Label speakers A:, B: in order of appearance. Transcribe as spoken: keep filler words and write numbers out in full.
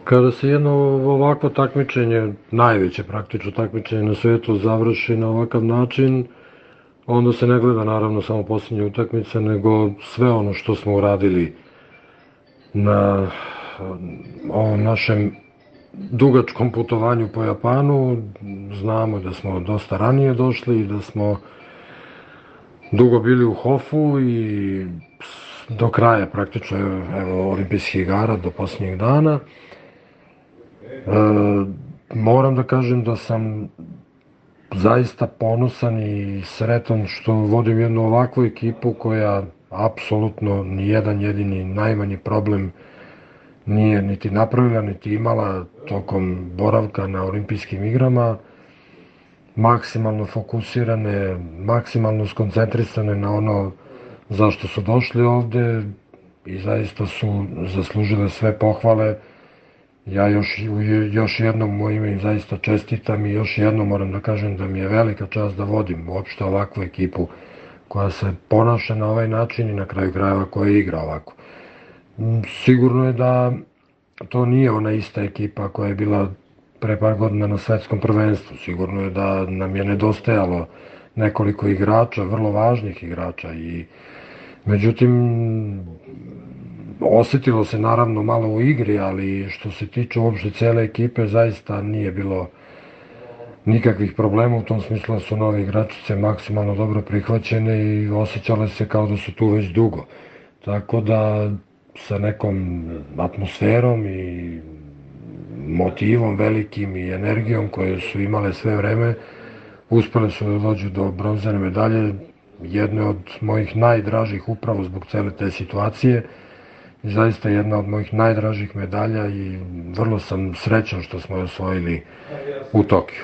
A: Kada se jedno ovakvo takmičenje, najveće praktično takmičenje na svetu, završi na ovakav način, onda se ne gleda naravno samo posljednje utakmice, nego sve ono što smo uradili na ovom našem dugačkom putovanju po Japanu. Znamo da smo dosta ranije došli i da smo dugo bili u Hofu i do kraja praktično evo, olimpijskih igara, do posljednjih dana. E, moram da kažem da sam zaista ponosan i sretan što vodim jednu ovakvu ekipu koja apsolutno ni jedan jedini najmanji problem nije niti napravila, niti imala tokom boravka na olimpijskim igrama. Maksimalno fokusirane, maksimalno skoncentrisane na ono zašto su došli ovde i zaista su zaslužile sve pohvale. Ja još, još jednom u ime im zaista čestitam i još jednom moram da kažem da mi je velika čast da vodim uopšte ovakvu ekipu koja se ponaša na ovaj način i na kraju krajeva koja igra ovako. Sigurno je da to nije ona ista ekipa koja je bila pre par godina na svetskom prvenstvu. Sigurno je da nam je nedostajalo nekoliko igrača, vrlo važnih igrača i međutim osetilo se naravno malo u igri, ali što se tiče uopšte cele ekipe zaista nije bilo nikakvih problema, u tom smislu su nove igračice maksimalno dobro prihvaćene i osjećale se kao da su tu već dugo. Tako da sa nekom atmosferom i motivom velikim i energijom koje su imale sve vreme, uspele su da dođu do bronzane medalje, jedne od mojih najdražih upravo zbog cele te situacije. I zaista jedna od mojih najdražih medalja i vrlo sam srećan što smo je osvojili u Tokiju.